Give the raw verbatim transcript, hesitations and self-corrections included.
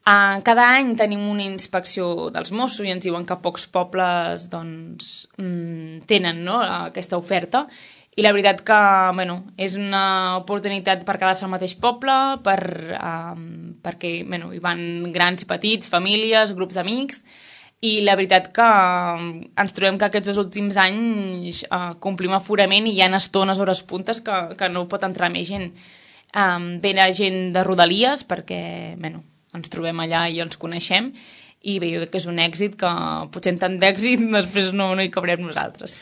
Uh, cada any tenim una inspecció dels Mossos i ens diuen que pocs pobles doncs, mm, tenen, no?, aquesta oferta, i la veritat que bueno, és una oportunitat per quedar-se al mateix poble, per, um, perquè bueno, hi van grans i petits, famílies, grups d'amics, i la veritat que um, ens trobem que aquests dos últims anys uh, complim aforament i hi ha estones, hores puntes, que, que no pot entrar més gent. Um, ve la gent de Rodalies perquè bueno, ens trobem allà i ens coneixem, i bé, jo crec que és un èxit que potser en tant d'èxit després no, no hi cabrem nosaltres.